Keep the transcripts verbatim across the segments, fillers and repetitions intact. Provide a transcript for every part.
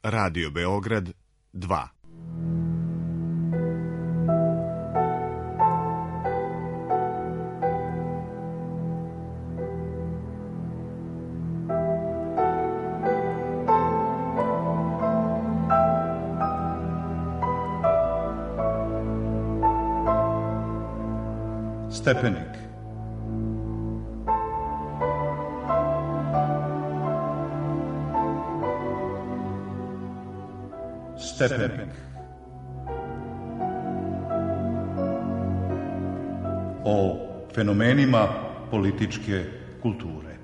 Radio Beograd dva. Stepenik. Stepenik. O fenomenima političke kulture.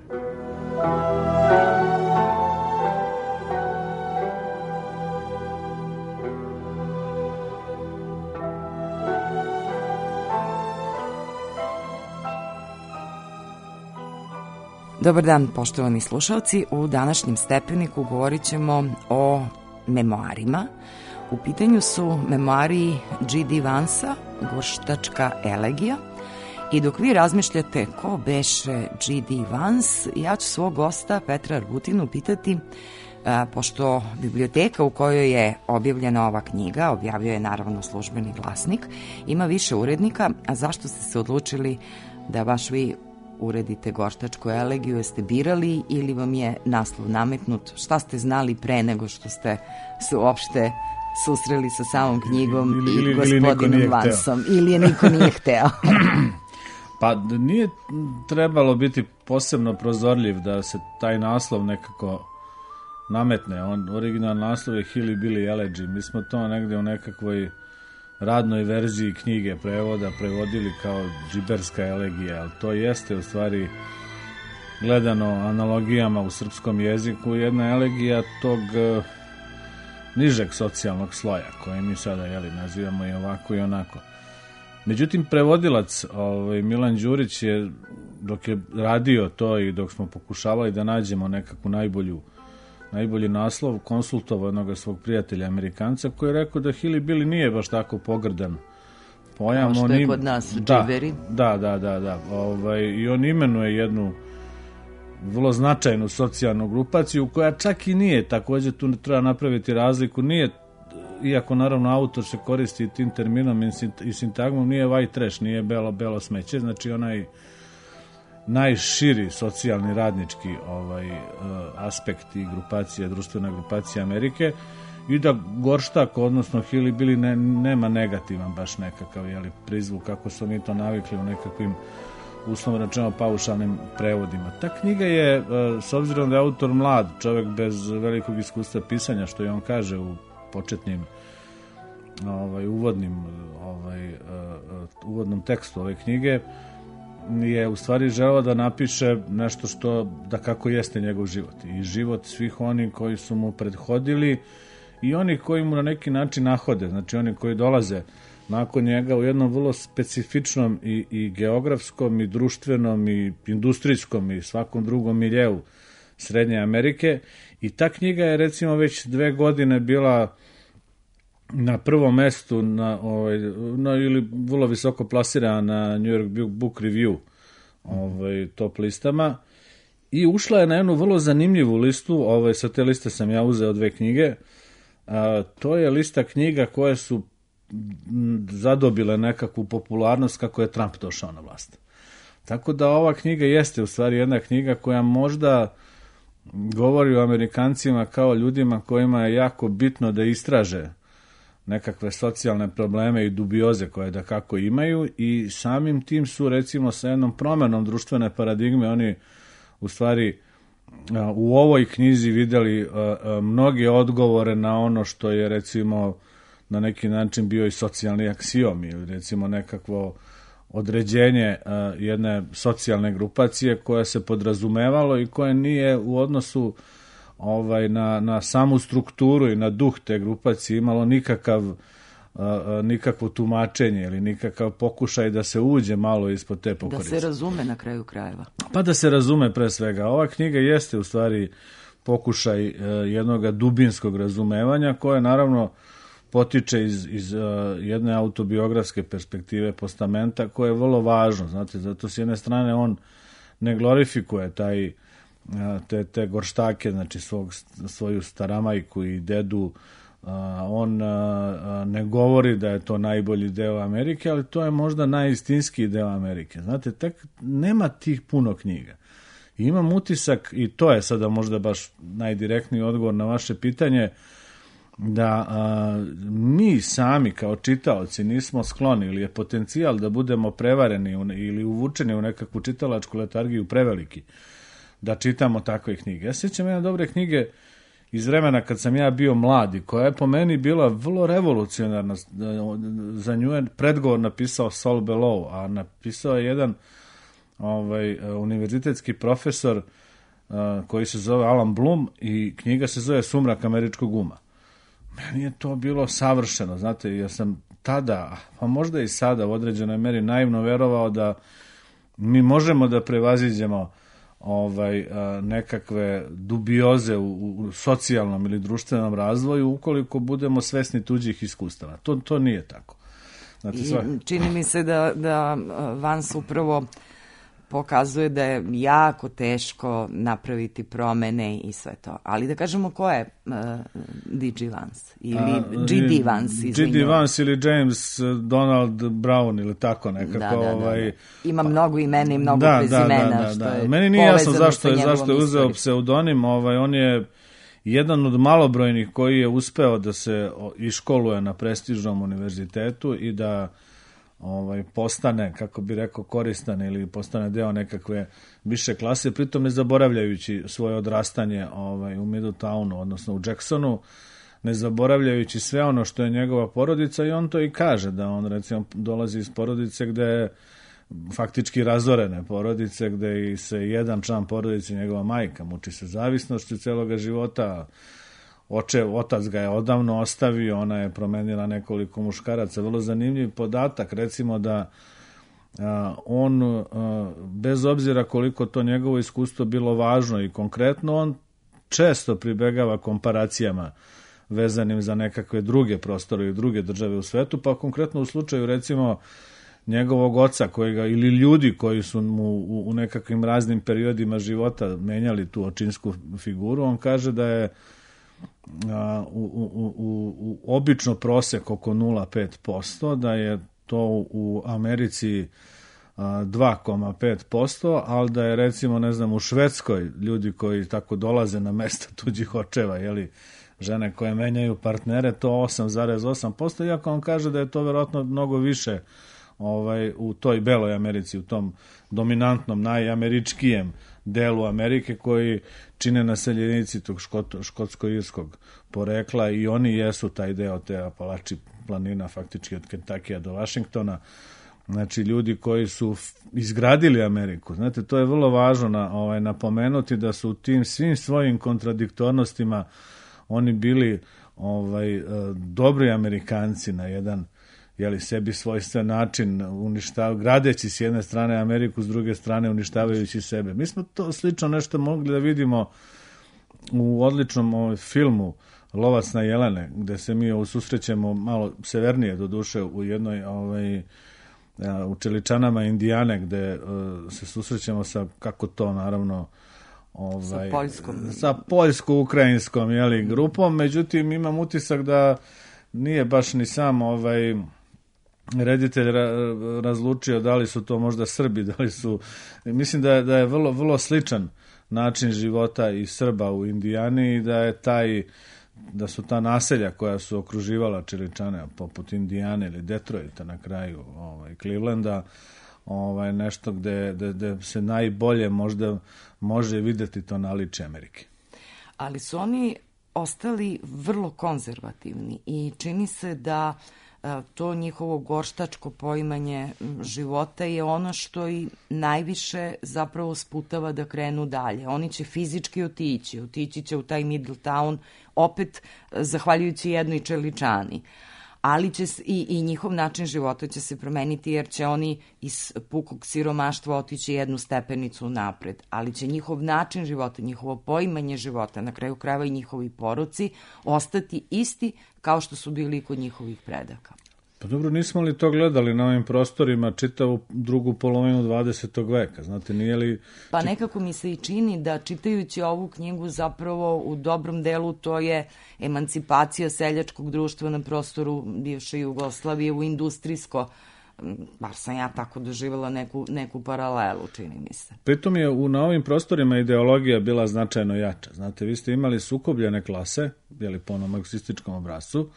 Dobar dan, poštovani slušalci. U današnjem Stepeniku govorit ćemo o memoarima. U pitanju su memoari G D Vansa, Gorštačka elegija. I dok vi razmišljate ko beše G D Vans, ja ću svog gosta Petra Argutinu pitati, a, pošto biblioteka u kojoj je objavljena ova knjiga, objavio je naravno Službeni glasnik, ima više urednika, a zašto ste se odlučili da baš vi uredite Gorštačku elegiju? Jeste birali ili vam je naslov nametnut? Šta ste znali pre nego što ste se uopšte susreli sa samom knjigom ili, ili, i gospodinom ili Vansom? Ili je niko nije hteo? Pa nije trebalo biti posebno prozorljiv da se taj naslov nekako nametne. On, original naslov je Hilly Billy Elegy. Mi smo to negde u nekakvoj radnoj verziji knjige prevoda prevodili kao džiberska elegija, ali to jeste u stvari gledano analogijama u srpskom jeziku jedna elegija tog uh, nižeg socijalnog sloja koje mi sada jeli, nazivamo i ovako i onako. Međutim, prevodilac ovaj, Milan Đurić je, dok je radio to i dok smo pokušavali da nađemo nekakvu najbolju najbolji naslov, konsultovao jednog svog prijatelja Amerikanca koji je rekao da Hilly Billy nije baš tako pogrdan pojam. Kao što on je im... kod nas da, džiberi. Da, da, da, da. Ovaj, i on imenuje jednu vrlo značajnu socijalnu grupaciju koja čak i nije, također tu treba napraviti razliku, nije, iako naravno autor se koristi tim terminom i sintagmom, nije white trash, nije belo, belo smeće, znači onaj najširi socijalni radnički ovaj uh, aspekt i grupacija, društvena grupacija Amerike, i da Gorštak, odnosno Hilly Billy ne, nema negativan baš nekakav jeli, prizvuk kako su mi to navikli u nekakvim uslovno rečeno paušalnim prevodima. Ta knjiga je, uh, s obzirom da je autor mlad, čovjek bez velikog iskustva pisanja, što je on kaže u početnim ovaj, uvodnim ovaj, uh, uh, uvodnom tekstu ove knjige, je u stvari želeo da napiše nešto što da kako jeste njegov život i život svih onih koji su mu prethodili i oni koji mu na neki način nahode, znači oni koji dolaze nakon njega u jednom vrlo specifičnom i, i geografskom i društvenom i industrijskom i svakom drugom miljeu Srednje Amerike. I ta knjiga je recimo već dve godine bila na prvom mestu na, ovaj, na, ili vrlo visoko plasirana na New York Book Review ovaj, top listama i ušla je na jednu vrlo zanimljivu listu. Ovaj, sa te liste sam ja uzeo dve knjige. A, to je lista knjiga koje su zadobile nekakvu popularnost kako je Trump došao na vlast. Tako da ova knjiga jeste u stvari jedna knjiga koja možda govori o Amerikancima kao ljudima kojima je jako bitno da istraže nekakve socijalne probleme i dubioze koje da kako imaju i samim tim su recimo sa jednom promenom društvene paradigme oni u stvari u ovoj knjizi vidjeli mnoge odgovore na ono što je recimo na neki način bio i socijalni aksiom ili recimo nekakvo određenje jedne socijalne grupacije koja se podrazumevalo i koje nije u odnosu ovaj, na, na samu strukturu i na duh te grupacije imalo nikakav, uh, nikakvo tumačenje ili nikakav pokušaj da se uđe malo ispod te pokorice. Da se razume na kraju krajeva. Pa da se razume pre svega. Ova knjiga jeste u stvari pokušaj uh, jednog dubinskog razumevanja koje naravno potiče iz, iz uh, jedne autobiografske perspektive postamenta koje je vrlo važno. Znate, zato s jedne strane on ne glorifikuje taj te, te gorštake, znači svog, svoju staramajku i dedu. On ne govori da je to najbolji deo Amerike, ali to je možda najistinskiji deo Amerike. Znate, tek nema tih puno knjiga. I imam utisak, i to je sada možda baš najdirektniji odgovor na vaše pitanje, da a, mi sami kao čitaoci nismo skloni ili je potencijal da budemo prevareni u, ili uvučeni u nekakvu čitalačku letargiju preveliki da čitamo takve knjige. Ja sjećam jedne dobre knjige iz vremena kad sam ja bio mladi, koja je po meni bila vrlo revolucionarna. Za nju je predgovor napisao Saul Bellow, a napisao je jedan ovaj, univerzitetski profesor uh, koji se zove Alan Bloom i knjiga se zove Sumrak američkog uma. Meni je to bilo savršeno, znate, ja sam tada, pa možda i sada u određenoj meri naivno verovao da mi možemo da prevaziđemo ovaj, nekakve dubioze u, u socijalnom ili društvenom razvoju ukoliko budemo svesni tuđih iskustava. To, to nije tako. Znate, sva... Čini mi se da, da Vance upravo pokazuje da je jako teško napraviti promene i sve to. Ali da kažemo ko je uh, D G. Vance ili G D. Vance, G D. Vance ili James Donald Brown ili tako nekako. Da, da, da, ovaj... da. Ima mnogo imena i mnogo da, prezimena. Da, da, da, što da. je Meni nije jasno zašto je, zašto je uzeo istoriju. pseudonim. Ovaj, on je jedan od malobrojnih koji je uspeo da se iškoluje na prestižnom univerzitetu i da ovaj, postane, kako bi rekao, koristan ili postane deo nekakve više klase, pritom ne zaboravljajući svoje odrastanje ovaj, u Middletownu, odnosno u Jacksonu, ne zaboravljajući sve ono što je njegova porodica, i on to i kaže, da on recimo dolazi iz porodice gde je faktički razorene porodice, gde i se jedan član porodice, njegova majka, muči se zavisnošću celoga života. Oče, otac ga je odavno ostavio, ona je promenila nekoliko muškaraca. Vrlo zanimljiv podatak, recimo da a, on, a, bez obzira koliko to njegovo iskustvo bilo važno i konkretno, on često pribegava komparacijama vezanim za nekakve druge prostore i druge države u svetu, pa konkretno u slučaju recimo njegovog oca kojega, ili ljudi koji su mu u, u nekakvim raznim periodima života menjali tu očinsku figuru, on kaže da je a, u, u, u, u obično prosek oko nula zarez pet posto, da je to u Americi a, dva zarez pet posto, ali da je recimo, ne znam, u Švedskoj ljudi koji tako dolaze na mesta tuđih očeva, jeli, žene koje menjaju partnere, to osam zarez osam posto, iako on kaže da je to verovatno mnogo više ovaj, u toj beloj Americi, u tom dominantnom, najameričkijem delu Amerike koji čine naseljenici tog škot, škotsko-irskog porekla, i oni jesu taj deo te Apalači planina, faktički od Kentakija do Vašingtona. Znači, ljudi koji su izgradili Ameriku. Znate, to je vrlo važno na, ovaj, napomenuti da su u tim svim svojim kontradiktornostima oni bili ovaj, dobri Amerikanci na jedan, jeli, sebi svojstven način, uništav, gradeći s jedne strane Ameriku, s druge strane uništavajući sebe. Mi smo to slično nešto mogli da vidimo u odličnom ovaj, filmu Lovac na jelene, gde se mi susrećemo malo severnije, do duše, u jednoj ovaj, u Čeličanama Indijane, gde uh, se susrećemo sa, kako to naravno, ovaj, sa poljskom, sa poljsko-ukrajinskom, jeli, grupom. Međutim, imam utisak da nije baš ni sam ovaj reditelj ra, razlučio da li su to možda Srbi, da li su, mislim da je, da je vrlo, vrlo sličan način života i Srba u Indijani, i da je taj, da su ta naselja koja su okruživala Čeličane, poput Indijane ili Detroita na kraju ovaj, Clevelanda, ovaj, nešto gde, gde, gde se najbolje možda može videti to naličje Amerike. Ali su oni ostali vrlo konzervativni i čini se da to njihovo gorštačko poimanje života je ono što i najviše zapravo sputava da krenu dalje. Oni će fizički otići, otići će u taj Middletown, opet zahvaljujući jednoj Čeličani. Ali će i, i njihov način života će se promeniti, jer će oni iz pukog siromaštva otići jednu stepenicu napred. Ali će njihov način života, njihovo poimanje života, na kraju krajeva i njihovi poroci, ostati isti kao što su bili kod njihovih predaka. Pa dobro, nismo li to gledali na ovim prostorima čitavu drugu polovinu dvadesetog veka, znate, nije li... Pa nekako mi se i čini da čitajući ovu knjigu zapravo u dobrom delu to je emancipacija seljačkog društva na prostoru bivše Jugoslavije u industrijsko, bar sam ja tako doživjela neku, neku paralelu, čini mi se. Pritom je u, na ovim prostorima ideologija bila značajno jača. Znate, vi ste imali sukobljene klase, jeli po onom marksističkom obrascu,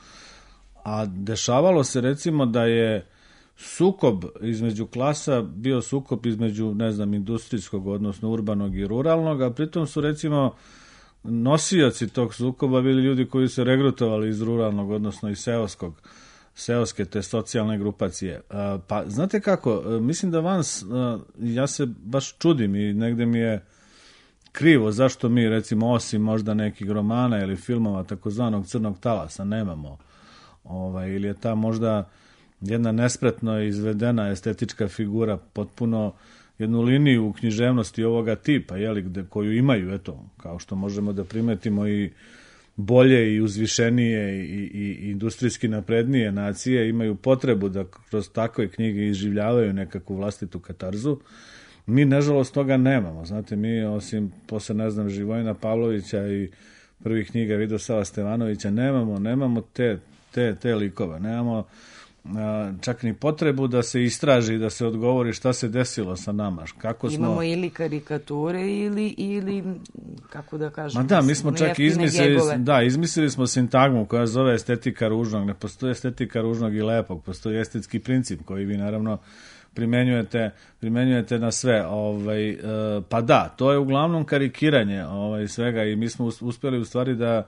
a dešavalo se recimo da je sukob između klasa bio sukob između, ne znam, industrijskog, odnosno urbanog i ruralnog, a pritom su recimo nosioci tog sukoba bili ljudi koji su regrutovali iz ruralnog, odnosno iz seoskog, seoske te socijalne grupacije. Pa znate kako, mislim da Vans, ja se baš čudim i negde mi je krivo zašto mi recimo osim možda nekih romana ili filmova takozvanog crnog talasa nemamo, ovaj, ili je ta možda jedna nespretno izvedena estetička figura potpuno jednu liniju u književnosti ovoga tipa, jeli, gde, koju imaju, eto, kao što možemo da primetimo i bolje i uzvišenije i, i, i industrijski naprednije nacije imaju potrebu da kroz takve knjige izživljavaju nekakvu vlastitu katarzu. Mi, nažalost, toga nemamo. Znate, mi, osim posle, ne znam, Živojina Pavlovića i prvih knjiga Vidosava Stevanovića, nemamo, nemamo te, te, te likove. Nemamo a, čak ni potrebu da se istraži, da se odgovori šta se desilo sa nama. Kako smo... Imamo ili karikature ili, ili kako da kažem... Ma da, mi smo čak izmislili, da, izmislili smo sintagmu koja zove estetika ružnog. Ne postoji estetika ružnog i lepog, postoji estetski princip koji vi naravno primenjujete, primenjujete na sve. Ovaj, e, pa da, to je uglavnom karikiranje ovaj, svega i mi smo uspjeli u stvari da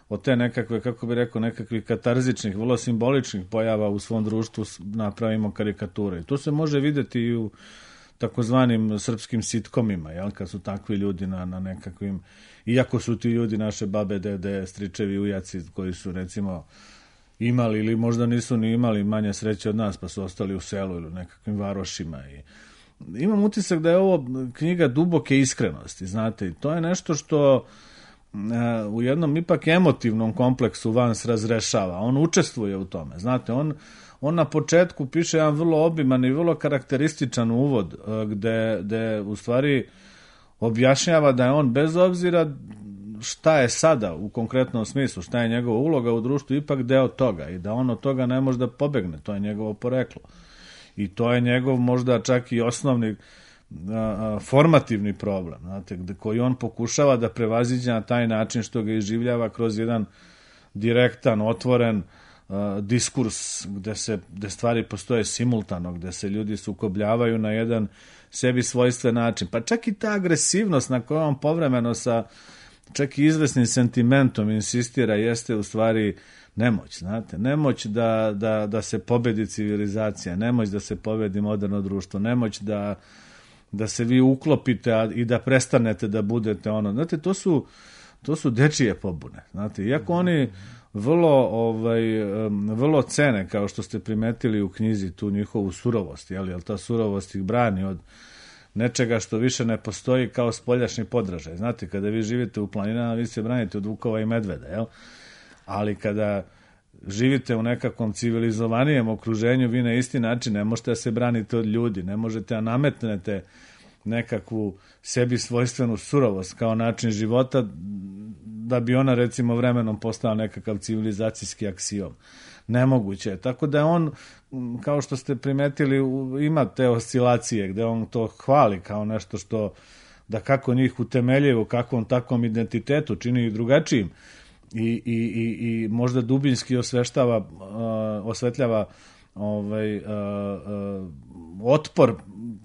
od te nekakve, kako bi rekao, nekakvih katarzičnih, vrlo simboličnih pojava u svom društvu napravimo karikature. To se može vidjeti i u takozvanim srpskim sitkomima, jel, kad su takvi ljudi na, na nekakvim, iako su ti ljudi naše babe, dede, stričevi, ujaci, koji su recimo imali ili možda nisu ni imali manje sreće od nas, pa su ostali u selu ili u nekakvim varošima. I imam utisak da je ovo knjiga duboke iskrenosti, znate, i to je nešto što u jednom ipak emotivnom kompleksu Vans razrešava. On učestvuje u tome. Znate, on, on na početku piše jedan vrlo obiman i vrlo karakterističan uvod gde, gde u stvari objašnjava da je on bez obzira šta je sada u konkretnom smislu, šta je njegova uloga u društvu, ipak deo toga i da on od toga ne može da pobegne. To je njegovo poreklo. I to je njegov možda čak i osnovni formativni problem, znate, gde, koji on pokušava da prevaziđe na taj način što ga iživljava kroz jedan direktan, otvoren uh, diskurs gde, se, gde stvari postoje simultano, gde se ljudi sukobljavaju na jedan sebi svojstven način. Pa čak i ta agresivnost na kojoj on povremeno sa čak i izvesnim sentimentom insistira jeste u stvari nemoć, znate, nemoć da, da, da se pobedi civilizacija, nemoć da se pobedi moderno društvo, nemoć da da se vi uklopite a, i da prestanete da budete ono. Znate, to su, to su dečije pobune. Znate, iako oni vrlo, ovaj, vrlo cene, kao što ste primetili u knjizi, tu njihovu surovost, jel, jel ta surovost ih brani od nečega što više ne postoji kao spoljašnji podražaj. Znate, kada vi živite u planinama, vi se branite od vukova i medveda, jel? Ali kada živite u nekakvom civilizovanijem okruženju, vi na isti način ne možete da se branite od ljudi, ne možete da nametnete nekakvu sebi svojstvenu surovost kao način života da bi ona recimo vremenom postala nekakav civilizacijski aksiom. Nemoguće je. Tako da on, kao što ste primetili, ima te oscilacije gde on to hvali kao nešto što da kako njih utemeljuje u kakvom takvom identitetu čini ih drugačijim. I, i, i, i možda dubinski osveštava, uh, osvetljava ovaj, uh, uh, otpor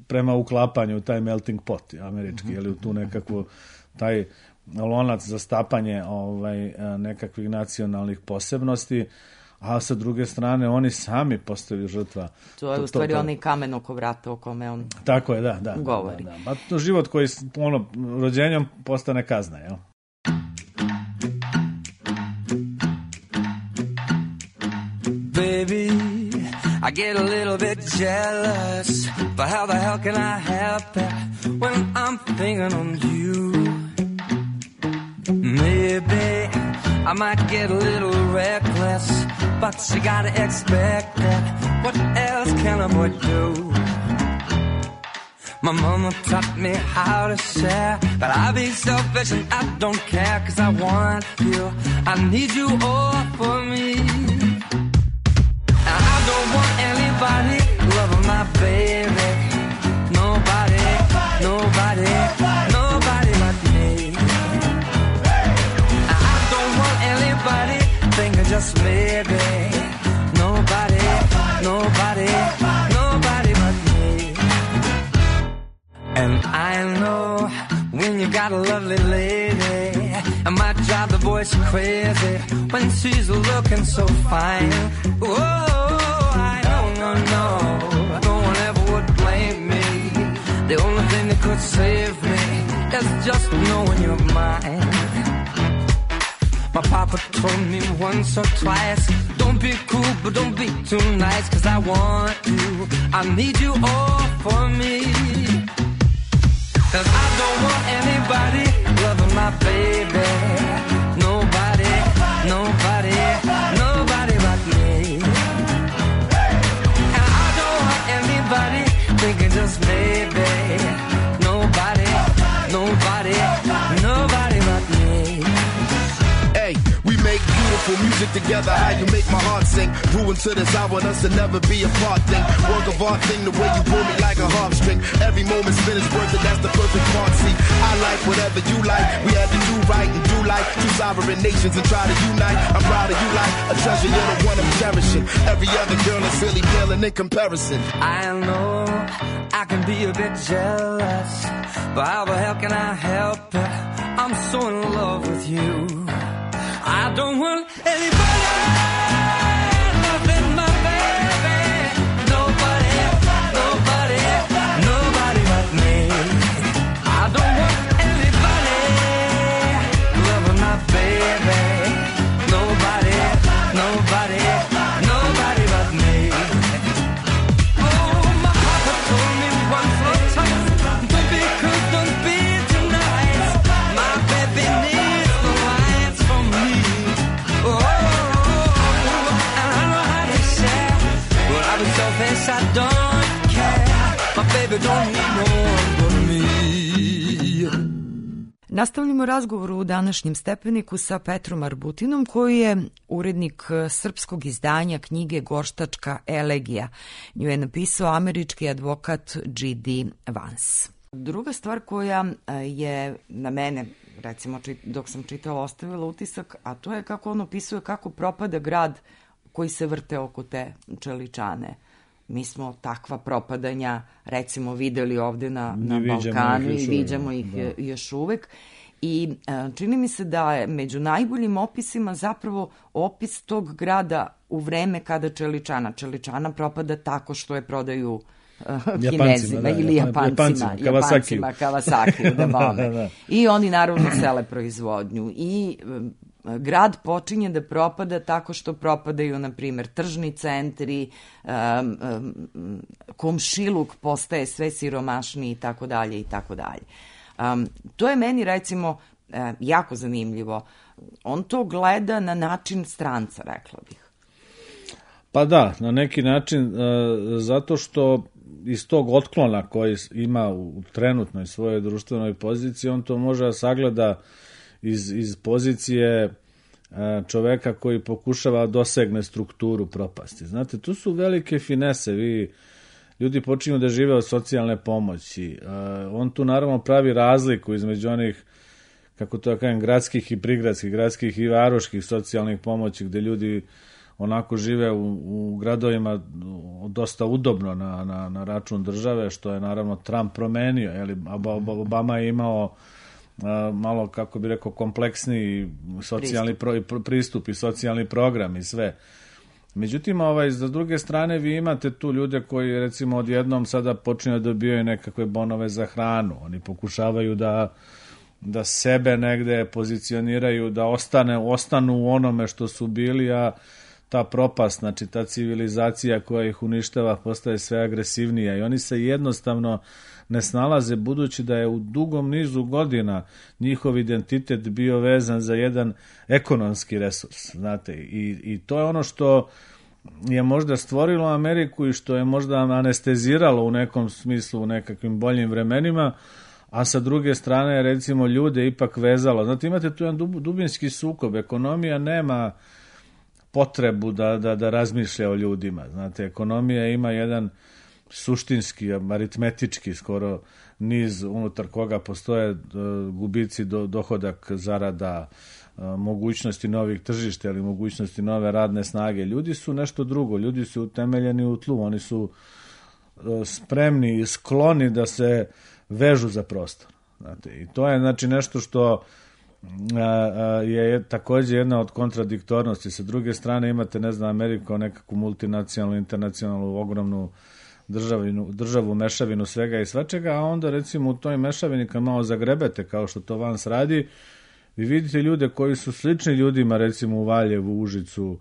prema uklapanju u taj melting pot američki, ili u tu nekakvu taj lonac za stapanje ovaj, uh, nekakvih nacionalnih posebnosti, a sa druge strane oni sami postaju žrtva. To je u stvari onaj kamen oko vrata o kome on tako je, da, da, govori. Da, da. Ba, to život koji ono, rođenjem postane kazna, jel? Baby, I get a little bit jealous, but how the hell can I help it when I'm thinking on you? Maybe I might get a little reckless, but you gotta expect it. What else can a boy do? My mama taught me how to share, but I be selfish and I don't care, 'cause I want you, I need you all for me. And I don't want anybody loving my baby. Nobody, nobody, nobody but me. And I don't want anybody thinking just maybe. Nobody, nobody, nobody but me. And I know when you got a lovely lady, it might drive the boys crazy when she's looking so fine. Oh, I don't know, no, no one ever would blame me. The only thing that could save me is just knowing you're mine. My papa told me once or twice, don't be cool, but don't be too nice, 'cause I want you, I need you all for me. 'Cause I don't want anybody loving my baby. Nobody, nobody, nobody but me. And I don't want anybody thinking just maybe. Nobody, nobody, nobody but me. Hey, we make beautiful music together. How you make my heart sing. Brewing to this, I want us to never be apart thing. Work of art thing, the way you pull me like a harp string. Every moment spent is worth it, that's the perfect part. See, I like whatever you like. We had to do right and do like two sovereign nations and try to unite. I'm proud of you like a treasure, you're the one I'm cherishing. Every other girl is really paling in comparison. I know I can be a bit jealous, but how the hell can I help it? I'm so in love with you. I don't want anybody loving my baby. Nobody, nobody, nobody but me. I don't want anybody loving my baby. Nobody, nobody, nobody but me. Oh, my papa told me once or twice, don't be cool, don't be too nice. My baby needs no lights from me. Oh, and I know how to share, but I be selfish, I don't care. My baby don't need no one but me. Nastavljamo razgovor u današnjem stepeniku sa Petrom Arbutinom, koji je urednik srpskog izdanja knjige Gorštačka elegija. Nju je napisao američki advokat G D Vance. Druga stvar koja je na mene, recimo dok sam čitala, ostavila utisak, a to je kako on opisuje kako propada grad koji se vrte oko te čeličane. Mi smo takva propadanja recimo videli ovde na, na Balkanu i viđamo ih da. još uvek. I čini mi se da je među najboljim opisima zapravo opis tog grada u vreme kada čeličana. Čeličana propada tako što je prodaju uh, Kinezima da, ili Japancima, Japancima, Kawasaki, da bome. da, da. I oni naravno sele proizvodnju. I um, grad počinje da propada tako što propadaju, na primjer, tržni centri, um, um, komšiluk postaje sve siromašniji i tako dalje i tako dalje. Um, to je meni, recimo, uh, jako zanimljivo. On to gleda na način stranca, rekla bih. Pa da, na neki način, uh, zato što iz tog otklona koji ima u trenutnoj svojoj društvenoj poziciji, on to može da sagleda iz, iz pozicije uh, čoveka koji pokušava dosegne strukturu propasti. Znate, tu su velike finese, vi ljudi počinju da žive od socijalne pomoći. Uh, on tu naravno pravi razliku između onih, kako to da kažem, gradskih i prigradskih, gradskih i varoških socijalnih pomoći, gde ljudi onako žive u, u gradovima dosta udobno na, na, na račun države, što je naravno Trump promenio. Jeli, Obama je imao uh, malo, kako bi rekao, kompleksniji socijalni pristup. Pro, pristup i socijalni program i sve. Međutim, ovaj, za druge strane vi imate tu ljude koji recimo odjednom sada počinju da dobijaju nekakve bonove za hranu. Oni pokušavaju da, da sebe negde pozicioniraju, da ostane, ostanu u onome što su bili, a ta propast, znači ta civilizacija koja ih uništava postaje sve agresivnija i oni se jednostavno ne snalaze, budući da je u dugom nizu godina njihov identitet bio vezan za jedan ekonomski resurs, znate, i, i to je ono što je možda stvorilo Ameriku i što je možda anesteziralo u nekom smislu u nekakvim boljim vremenima, a sa druge strane recimo ljude ipak vezalo. Znate, imate tu jedan dubinski sukob, ekonomija nema potrebu da, da, da razmišlja o ljudima, znate, ekonomija ima jedan suštinski, aritmetički skoro niz unutar koga postoje uh, gubici, do, dohodak, zarada, uh, mogućnosti novih tržišta ili mogućnosti nove radne snage. Ljudi su nešto drugo, ljudi su utemeljeni u tlu, oni su uh, spremni i skloni da se vežu za prostor. Znate, i to je znači nešto što uh, uh, je također jedna od kontradiktornosti. Sa druge strane imate, ne znam, Ameriku kao nekakvu multinacionalnu, internacionalnu, ogromnu Državinu, državu, mešavinu svega i svačega, a onda recimo u toj mešavini kad malo zagrebete kao što to Vans radi, vi vidite ljude koji su slični ljudima recimo u Valjevu, Užicu,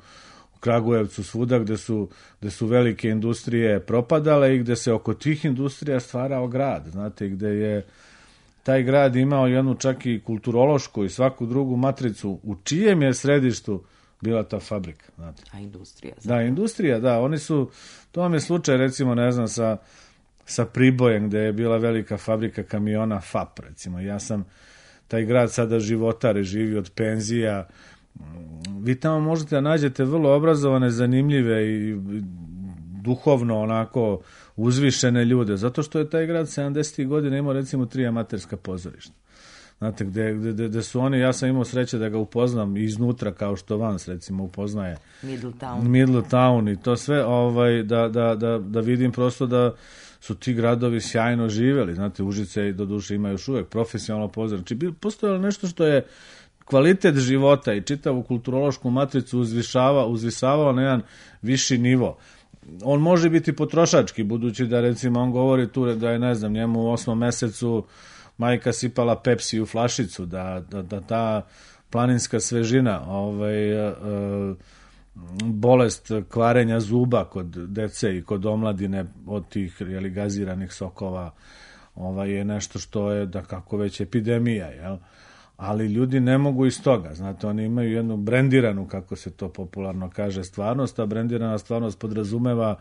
u Kragujevcu, svuda gde su, gde su velike industrije propadale i gde se oko tih industrija stvarao grad, znate, gde je taj grad imao jednu čak i kulturološku i svaku drugu matricu u čijem je središtu bila ta fabrika, znate. A industrija. Znači. Da, industrija, da, oni su, to vam je slučaj recimo, ne znam, sa, sa Pribojem gde je bila velika fabrika kamiona F A P, recimo. Ja sam taj grad sada životare, živi od penzija. Vi tamo možete da nađete vrlo obrazovane, zanimljive i duhovno onako uzvišene ljude, zato što je taj grad sedamdesetih godina imao recimo tri amaterska pozorišta. Znate, gde, gde, gde su oni, ja sam imao sreće da ga upoznam iznutra, kao što Vans recimo upoznaje Middletown, Middletown i to sve, ovaj, da, da, da, da vidim prosto da su ti gradovi sjajno živeli. Znate, Užice do duše ima još uvek profesionalno pozorište. Znači, postojalo nešto što je kvalitet života i čitavu kulturološku matricu uzvišava, uzvisavao na jedan viši nivo. On može biti potrošački, budući da recimo on govori tu da je, ne znam, njemu u osmom mesecu majka sipala Pepsi u flašicu, da, da, da ta planinska svežina, ovaj, e, bolest kvarenja zuba kod dece i kod omladine od tih jeli, gaziranih sokova, ovaj, je nešto što je da kako već epidemija, jel? Ali ljudi ne mogu iz toga, znate, oni imaju jednu brendiranu, kako se to popularno kaže, stvarnost, a brendirana stvarnost podrazumeva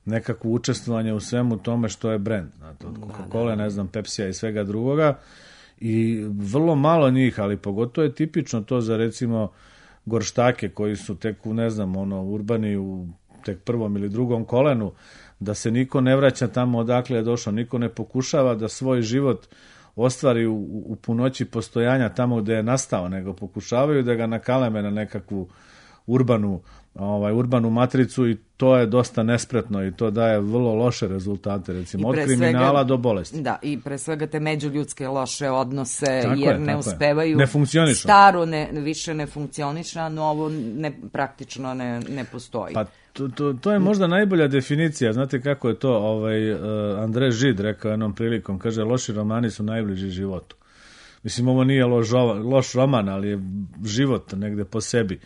nekakvo učestvovanje u svemu tome što je brend, znate, od Coca-Cola, ne znam, Pepsija i svega drugoga, i vrlo malo njih, ali pogotovo je tipično to za recimo gorštake koji su tek u, ne znam, ono, urbani u tek prvom ili drugom kolenu, da se niko ne vraća tamo odakle je došao, niko ne pokušava da svoj život ostvari u, u punoći postojanja tamo gde je nastao, nego pokušavaju da ga nakaleme na nekakvu urbanu ovaj urbanu matricu i to je dosta nespretno i to daje vrlo loše rezultate, recimo od kriminala svega, do bolesti. Da, i pre svega te međuljudske loše odnose, tako jer je, ne uspevaju. Ne funkcionišu. Staro ne, više ne funkcioniše, a novo ne, praktično ne, ne postoji. Pa to, to, to je možda najbolja definicija. Znate kako je to ovaj, uh, Andrej Žid rekao jednom prilikom, kaže, loši romani su najbliži životu. Mislim, ovo nije loš, loš roman, ali je život negde po sebi.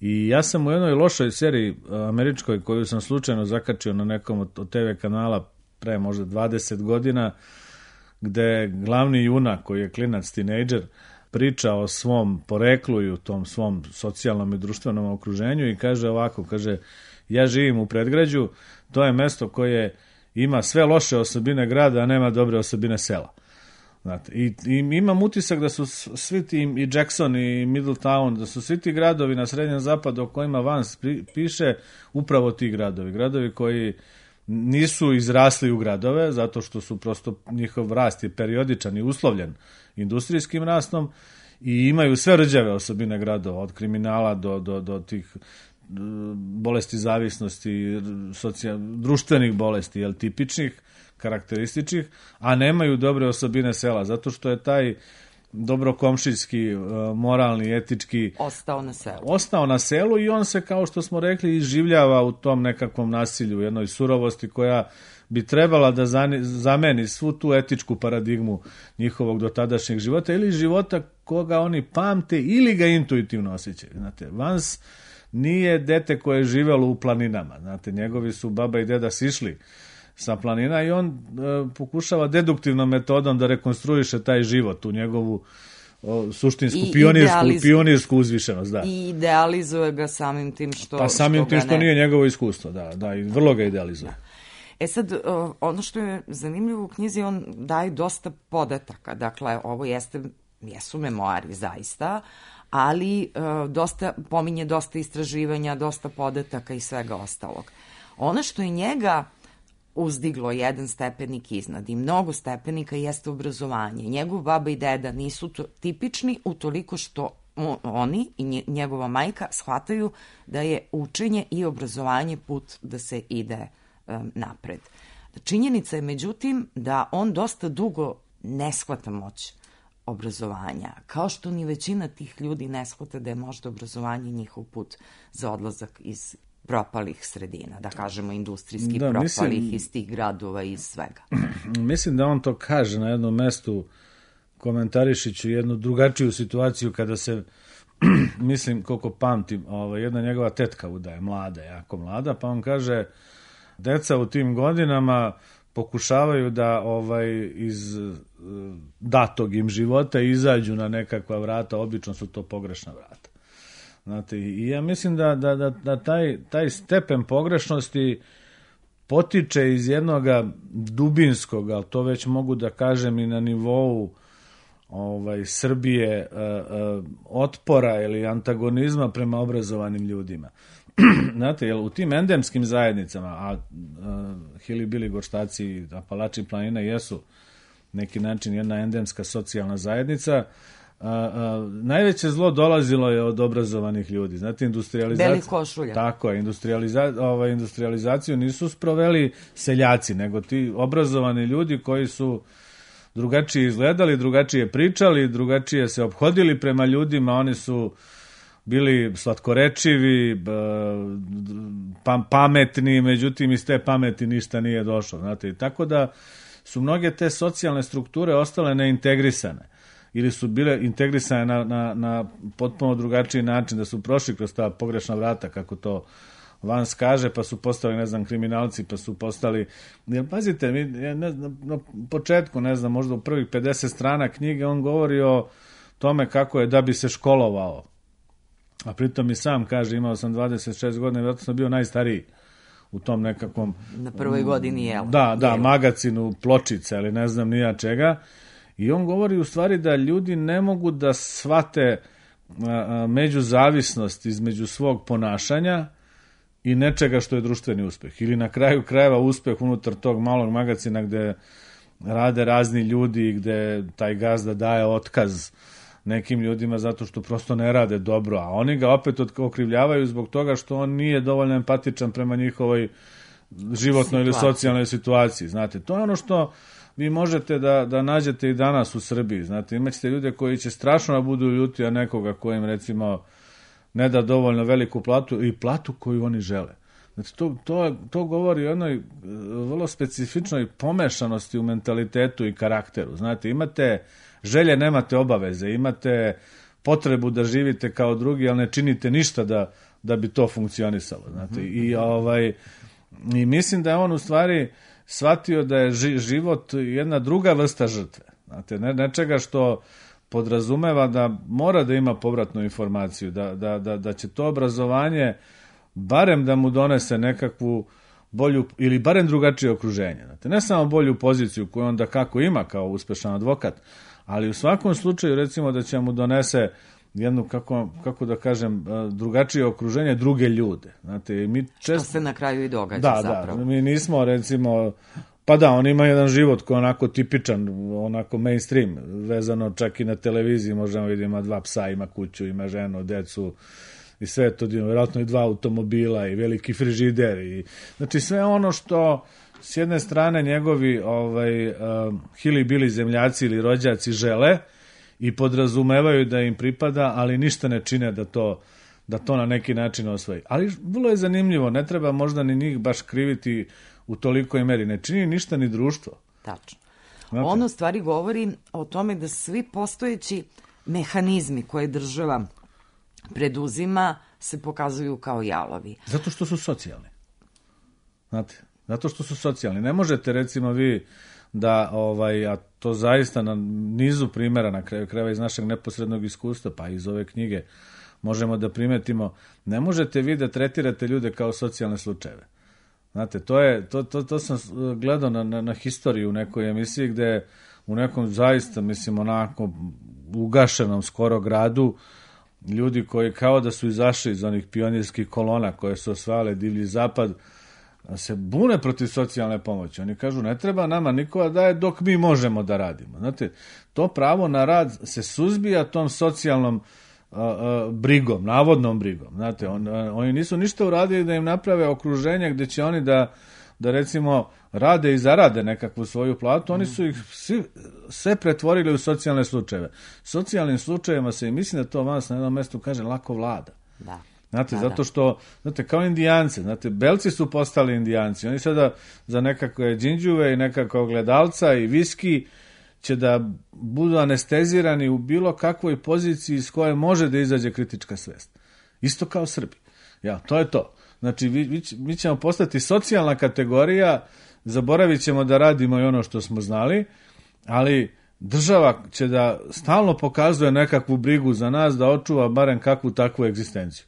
I ja sam u jednoj lošoj seriji američkoj koju sam slučajno zakačio na nekom od te ve kanala pre možda dvadeset godina, gde glavni junak koji je klinac tinejdžer priča o svom poreklu i u tom svom socijalnom i društvenom okruženju i kaže ovako, kaže, ja živim u predgrađu, to je mesto koje ima sve loše osobine grada, a nema dobre osobine sela. Znate, i, i imam utisak da su svi ti, i Jackson i Middletown, da su svi ti gradovi na srednjem zapadu o kojima Vans piše, upravo ti gradovi. Gradovi koji nisu izrasli u gradove, zato što su prosto njihov rast je periodičan i uslovljen industrijskim rastom i imaju sve rđave osobine gradova, od kriminala do, do, do tih bolesti zavisnosti, socijal, društvenih bolesti, jel, tipičnih, karakterističnih, a nemaju dobre osobine sela, zato što je taj dobrokomšijski, moralni, etički ostao na selu. Ostao na selu i on se, kao što smo rekli, iživljava u tom nekakvom nasilju, jednoj surovosti koja bi trebala da zameni svu tu etičku paradigmu njihovog dotadašnjeg života ili života koga oni pamte ili ga intuitivno osjećaju. Znate, Vans nije dete koje je živelo u planinama. Znate, njegovi su baba i deda sišli sa planina i on e, pokušava deduktivnom metodom da rekonstruiše taj život u njegovu o, suštinsku, I pionirsku, idealiz... pionirsku uzvišenost. Da. I idealizuje ga samim tim što... Pa samim što tim što ne... nije njegovo iskustvo, da, da, i vrlo ga idealizuje. Da. E sad, ono što je zanimljivo u knjizi, on daje dosta podataka. Dakle, ovo jeste, jesu memoari zaista, ali dosta, pominje dosta istraživanja, dosta podataka i svega ostalog. Ono što je njega uzdiglo jedan stepenik iznad i mnogo stepenika jeste obrazovanje. Njegov baba i deda nisu to, tipični utoliko što oni i njegova majka shvataju da je učenje i obrazovanje put da se ide um, napred. Činjenica je međutim da on dosta dugo ne shvata moć obrazovanja, kao što ni većina tih ljudi ne shvata da je možda obrazovanje njihov put za odlazak iz propalih sredina, da kažemo industrijski da, propalih, mislim, iz tih gradova i iz svega. Mislim da on to kaže na jednom mestu, komentarišiću jednu drugačiju situaciju kada se, mislim koliko pamtim, ovaj, jedna njegova tetka udaje, mlada, jako mlada, pa on kaže, deca u tim godinama pokušavaju da ovaj iz datog im života izađu na nekakva vrata, obično su to pogrešna vrata. Znate, i ja mislim da, da, da, da taj, taj stepen pogrešnosti potiče iz jednoga dubinskog, ali to već mogu da kažem i na nivou ovaj, Srbije, uh, uh, otpora ili antagonizma prema obrazovanim ljudima. Znate, jer u tim endemskim zajednicama, a, a Hilibili, Gorštaci i Apalači planina jesu neki način jedna endemska socijalna zajednica, a, a, najveće zlo dolazilo je od obrazovanih ljudi. Znate, industrializacija... Belih košulja. Tako je, industrializa, ovaj, industrializaciju nisu sproveli seljaci, nego ti obrazovani ljudi koji su drugačije izgledali, drugačije pričali, drugačije se ophodili prema ljudima, oni su bili slatkorečivi, pametni, međutim iz te pameti ništa nije došlo. Znate, i tako da su mnoge te socijalne strukture ostale neintegrisane ili su bile integrisane na, na, na potpuno drugačiji način, da su prošli kroz ta pogrešna vrata, kako to Vans kaže, pa su postali, ne znam, kriminalci, pa su postali... Jer, pazite, mi, ne znam, na početku, ne znam, možda u prvih pedeset strana knjige on govori o tome kako je da bi se školovao. A pritom i sam kaže, imao sam dvadeset šest godina, vjerojatno sam bio najstariji u tom nekakvom... Na prvoj godini, jel? Da, da, magacinu, pločice, ali ne znam nija čega. I on govori u stvari da ljudi ne mogu da shvate međuzavisnost između svog ponašanja i nečega što je društveni uspeh. Ili na kraju krajeva uspeh unutar tog malog magacina gde rade razni ljudi i gde taj gazda daje otkaz nekim ljudima zato što prosto ne rade dobro, a oni ga opet okrivljavaju zbog toga što on nije dovoljno empatičan prema njihovoj životnoj ili socijalnoj situaciji. Znate, to je ono što vi možete da, da nađete i danas u Srbiji. Znate, imaćete ljude koji će strašno da budu ljuti, a nekoga kojim recimo ne da dovoljno veliku platu i platu koju oni žele. Znači, to, to, to govori o jednoj vrlo specifičnoj pomešanosti u mentalitetu i karakteru. Znate, imate želje, nemate obaveze, imate potrebu da živite kao drugi, ali ne činite ništa da, da bi to funkcionisalo. Znate, i, ovaj, i mislim da je on u stvari shvatio da je ži, život jedna druga vrsta žrtve. Znate, ne, nečega što podrazumeva da mora da ima povratnu informaciju, da, da, da, da će to obrazovanje barem da mu donese nekakvu bolju ili barem drugačije okruženje. Znate, ne samo bolju poziciju koju onda kako ima kao uspešan advokat, ali u svakom slučaju recimo da će mu donese jednu, kako, kako da kažem, drugačije okruženje, druge ljude. Znate, mi čest... Što se na kraju i događa da, zapravo. Da, mi nismo recimo, pa da, on ima jedan život koji je onako tipičan, onako mainstream, vezano čak i na televiziji, možemo vidjeti, ima dva psa, ima kuću, ima ženu, decu, i sve to, vjerojatno i dva automobila i veliki frižider. I, znači sve ono što s jedne strane njegovi ovaj, uh, hilibili zemljaci ili rođaci žele i podrazumevaju da im pripada, ali ništa ne čine da to, da to na neki način osvoji. Ali vrlo je zanimljivo, ne treba možda ni njih baš kriviti u tolikoj meri. Ne čini ništa ni društvo. Tačno. Znate? Ono stvari govori o tome da svi postojeći mehanizmi koje država preduzima se pokazuju kao jalovi. Zato što su socijalni. Znate, zato što su socijalni. Ne možete, recimo, vi da, ovaj, a to zaista na nizu primjera, na kraju krajeva iz našeg neposrednog iskustva, pa iz ove knjige, možemo da primetimo, ne možete vi da tretirate ljude kao socijalne slučajeve. Znate, to je, to, to, to sam gledao na, na, na historiju u nekoj emisiji gde u nekom zaista, mislim, onako ugašenom skoro gradu, ljudi koji kao da su izašli iz onih pionirskih kolona koje su osvajale divlji zapad, se bune protiv socijalne pomoći. Oni kažu, ne treba nama nikoga daje dok mi možemo da radimo. Znate, to pravo na rad se suzbija tom socijalnom uh, uh, brigom, navodnom brigom. Znate, on, uh, oni nisu ništa uradili da im naprave okruženje gde će oni da, da recimo rade i zarade nekakvu svoju platu. Oni su ih svi, sve pretvorili u socijalne slučajeve. Socijalnim slučajevima se, i mislim da to vas na jednom mestu kaže, lako vlada. Da. Znate, da, zato što, znate, kao indijance, znate, belci su postali indijanci. Oni sada za nekakve džinđuve i nekakve ogledalca i viski će da budu anestezirani u bilo kakvoj poziciji iz koje može da izađe kritička svest. Isto kao Srbi. Ja, to je to. Znači, vi, vi, mi ćemo postati socijalna kategorija, zaboravit ćemo da radimo i ono što smo znali, ali država će da stalno pokazuje nekakvu brigu za nas, da očuva barem kakvu takvu egzistenciju.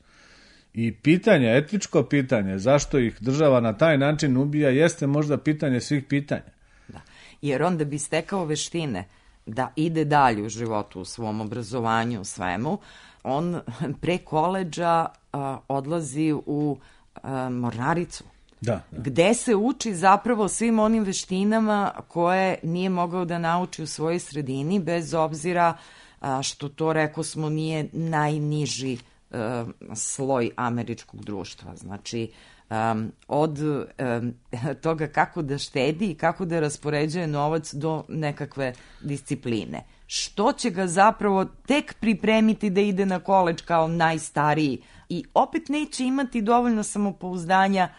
I pitanje, etičko pitanje, zašto ih država na taj način ubija, jeste možda pitanje svih pitanja. Da. Jer on da bi stekao veštine da ide dalje u životu, u svom obrazovanju, u svemu, on pre koledža a, odlazi u a, mornaricu. Da, da. Gde se uči zapravo svim onim veštinama koje nije mogao da nauči u svojoj sredini, bez obzira a, što to, reko smo, nije najniži sloj američkog društva. Znači, um, od um, toga kako da štedi i kako da raspoređuje novac do nekakve discipline. Što će ga zapravo tek pripremiti da ide na koledž kao najstariji i opet neće imati dovoljno samopouzdanja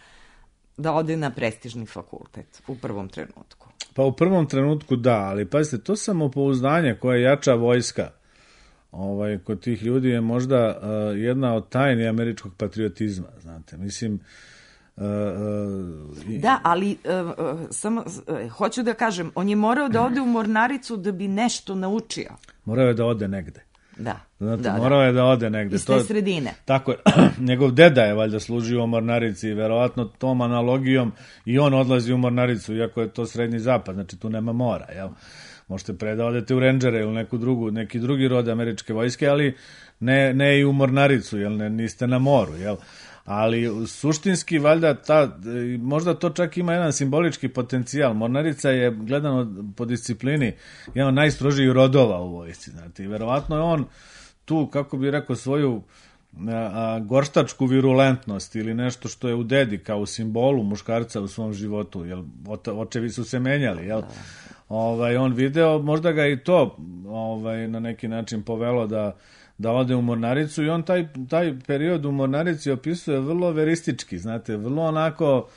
da ode na prestižni fakultet u prvom trenutku. Pa u prvom trenutku da, ali pazite, to samopouzdanje koje jača vojska ovaj, kod tih ljudi je možda uh, jedna od tajni američkog patriotizma, znate, mislim... Uh, uh, da, ali uh, uh, samo uh, hoću da kažem, on je morao da ode u mornaricu da bi nešto naučio. Morao je da ode negde. Da, znate, da, morao da. je da ode negde. Iz te to, sredine. Tako je. Njegov deda je valjda služio u mornarici i verovatno tom analogijom i on odlazi u mornaricu, iako je to srednji zapad, znači tu nema mora, jel? Možete pre da odete u Rangere ili neku drugu, neki drugi rod američke vojske, ali ne, ne i u mornaricu, jel ne, niste na moru, jel? Ali suštinski, valjda, ta, možda to čak ima jedan simbolički potencijal. Mornarica je, gledano po disciplini, jedan od najstrožijih rodova u vojsci, znate, i verovatno je on tu, kako bi rekao, svoju a, a, gorštačku virulentnost ili nešto što je u dedi, kao u simbolu muškarca u svom životu, jel, očevi su se menjali, jel? Ovaj, on video, možda ga i to ovaj, na neki način povelo da, da ode u mornaricu i on taj, taj period u mornarici opisuje vrlo veristički, znate, vrlo onako,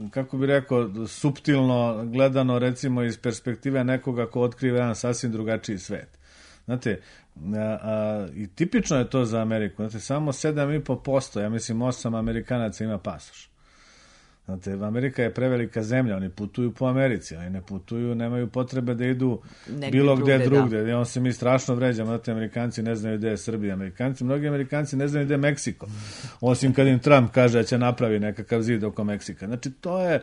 kako bi rekao, suptilno gledano, recimo iz perspektive nekoga ko otkriva jedan sasvim drugačiji svet. Znate, a, a, i tipično je to za Ameriku, znate, samo sedam i po posto, ja mislim osam Amerikanaca ima pasoš. Znate, Amerika je prevelika zemlja, oni putuju po Americi, oni ne putuju, nemaju potrebe da idu negdje bilo gde drugde. Da. On se mi strašno vređamo, znate, Amerikanci ne znaju gde je Srbija. Amerikanci, mnogi Amerikanci ne znaju gde je Meksiko, osim kad im Trump kaže da će napravi nekakav zid oko Meksika. Znači, to je,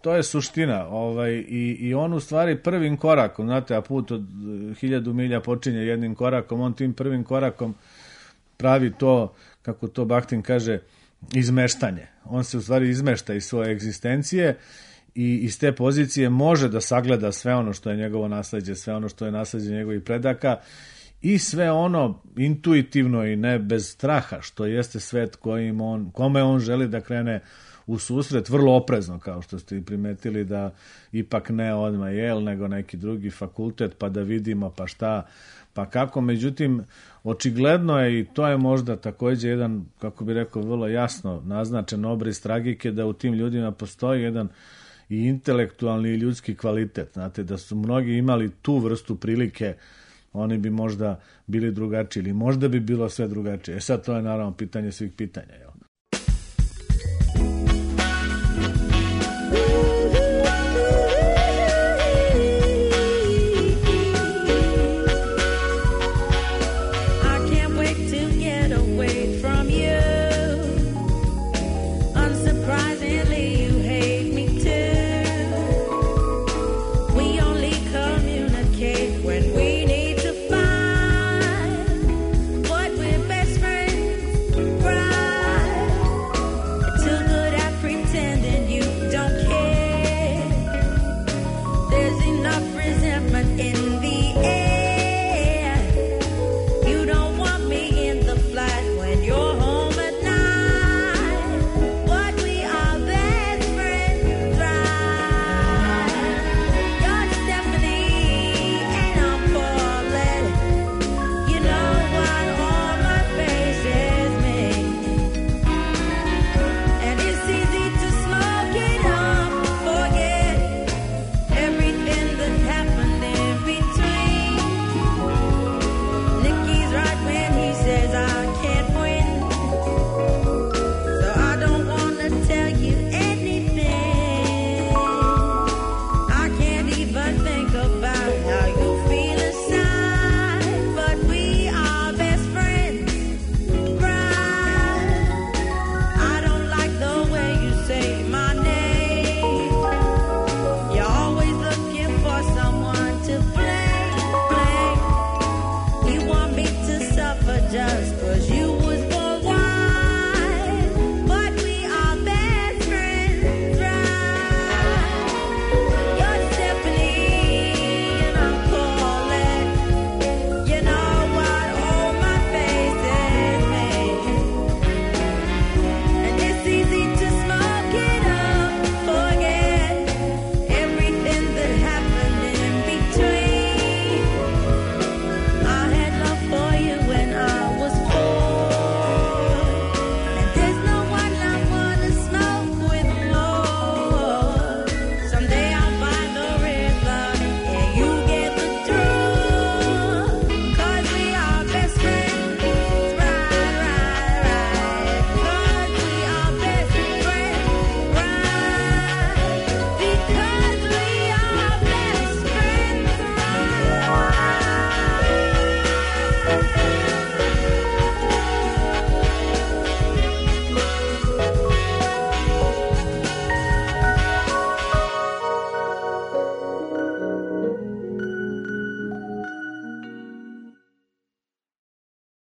to je suština. Ovaj, i, I on u stvari prvim korakom, znate, a put od hiljadu milja počinje jednim korakom, on tim prvim korakom pravi to, kako to Bakhtin kaže, izmeštanje. On se u stvari izmešta iz svoje egzistencije i iz te pozicije može da sagleda sve ono što je njegovo nasleđe, sve ono što je nasleđe njegovih predaka i sve ono intuitivno i ne bez straha što jeste svet kojim on, kome on želi da krene u susret, vrlo oprezno, kao što ste i primetili, da ipak ne odmah Yale, nego neki drugi fakultet, pa da vidimo pa šta, pa kako. Međutim, očigledno je, i to je možda takođe jedan, kako bi rekao, vrlo jasno naznačen obris tragike, da u tim ljudima postoji jedan i intelektualni i ljudski kvalitet. Znate, da su mnogi imali tu vrstu prilike oni bi možda bili drugačiji ili možda bi bilo sve drugačije. E sad to je naravno pitanje svih pitanja, jel?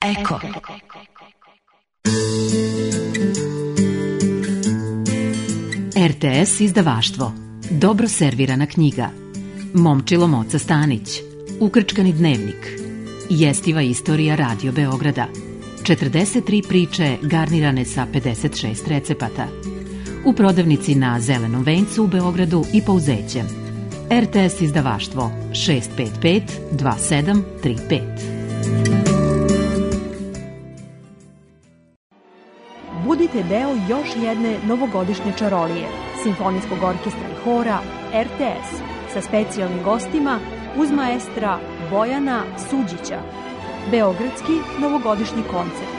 Eko. er te es izdavaštvo. Dobro servirana knjiga. Momčilo Moca Stanić. Ukrčkani dnevnik. Jestiva istorija Radio Beograda. četrdeset tri priče garnirane sa pedeset šest recepata. U prodavnici na Zelenom vencu u Beogradu i Pouzećem. er te es izdavaštvo šest pet pet dva sedam tri pet. Budite deo još jedne novogodišnje čarolije, simfonijskog orkestra i hora er te es sa specijalnim gostima uz maestra Bojana Suđića. Beogradski novogodišnji koncert.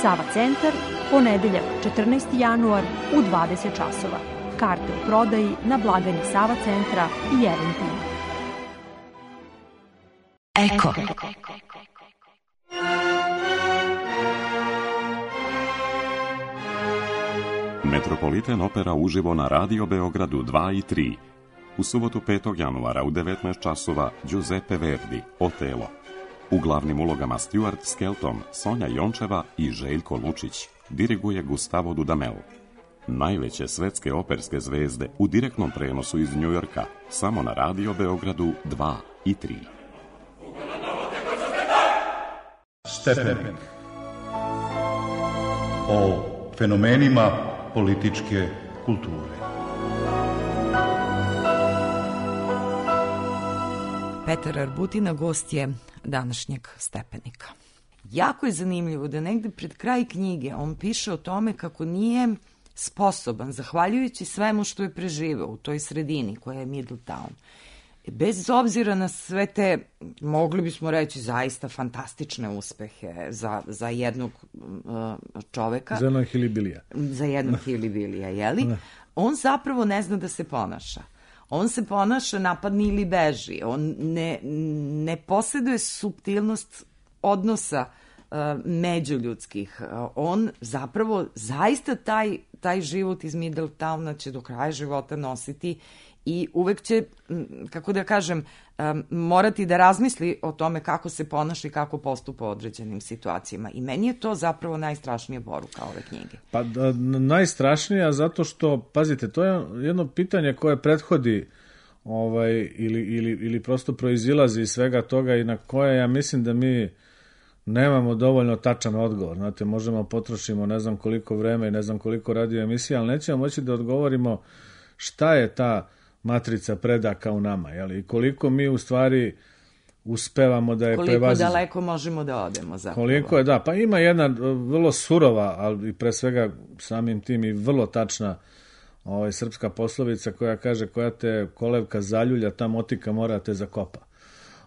Sava centar, ponedeljak četrnaesti januar u dvadeset časova. Karte u prodaji na blagajni Sava centra i Eventim. Eko. Metropolitan opera uživo na Radio Beogradu dva i tri. U subotu petog januara u devetnaest časova Giuseppe Verdi, Otelo. U glavnim ulogama Stuart Skelton, Sonja Jončeva i Željko Lučić. Diriguje Gustavo Dudamel. Najveće svetske operske zvezde u direktnom prenosu iz Njujorka, samo na Radio Beogradu dva i tri. Stepenik. O fenomenima političke kulture. Petar Arbutina gost je današnjeg Stepenika. Jako je zanimljivo da negde pred kraj knjige on piše o tome kako nije sposoban, zahvaljujući svemu što je preživeo u toj sredini koja je Middletown, bez obzira na sve te, mogli bismo reći, zaista fantastične uspehe za, za jednog uh, čoveka. Za jednog hilibilija. Za jednog hilibilija, jeli? On zapravo ne zna da se ponaša. On se ponaša, napadni ili beži. On ne, ne posjeduje suptilnost odnosa uh, međuljudskih. Uh, on zapravo zaista taj, taj život iz Middletowna će do kraja života nositi i uvek će, kako da kažem, um, morati da razmisli o tome kako se ponaša i kako postupa u određenim situacijama. I meni je to zapravo najstrašnija poruka ove knjige. Pa da, najstrašnija zato što, pazite, to je jedno pitanje koje prethodi ovaj, ili, ili, ili prosto proizilazi iz svega toga i na koje ja mislim da mi nemamo dovoljno tačan odgovor. Znate, možemo potrošimo ne znam koliko vreme i ne znam koliko radio emisija, ali nećemo moći da odgovorimo šta je ta matrica predaka u nama, jel? I koliko mi u stvari uspevamo da je koliko prevazimo. Koliko daleko možemo da odemo zapravo. Koliko je, da, pa ima jedna vrlo surova, ali pre svega samim tim i vrlo tačna ovaj, srpska poslovica koja kaže koja te kolevka zaljulja, ta motika mora te zakopa.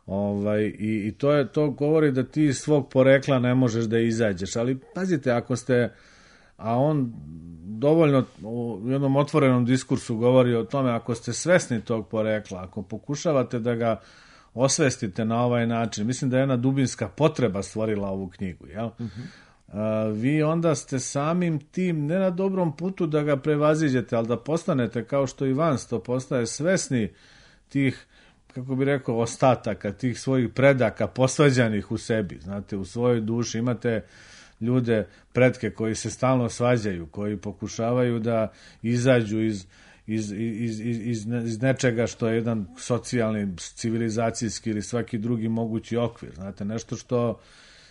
Ovaj, i, i to, je, to govori da ti iz svog porekla ne možeš da izađeš, ali pazite, ako ste, a on dovoljno u jednom otvorenom diskursu govori o tome, ako ste svesni tog porekla, ako pokušavate da ga osvestite na ovaj način, mislim da je jedna dubinska potreba stvorila ovu knjigu, jel? Uh-huh. A, vi onda ste samim tim ne na dobrom putu da ga prevaziđete, ali da postanete, kao što i Vans to postaje, svesni tih, kako bi rekao, ostataka, tih svojih predaka posvađanih u sebi, znate, u svojoj duši imate ljude, pretke koji se stalno svađaju, koji pokušavaju da izađu iz, iz, iz, iz, iz, iz nečega što je jedan socijalni, civilizacijski ili svaki drugi mogući okvir. Znate, nešto što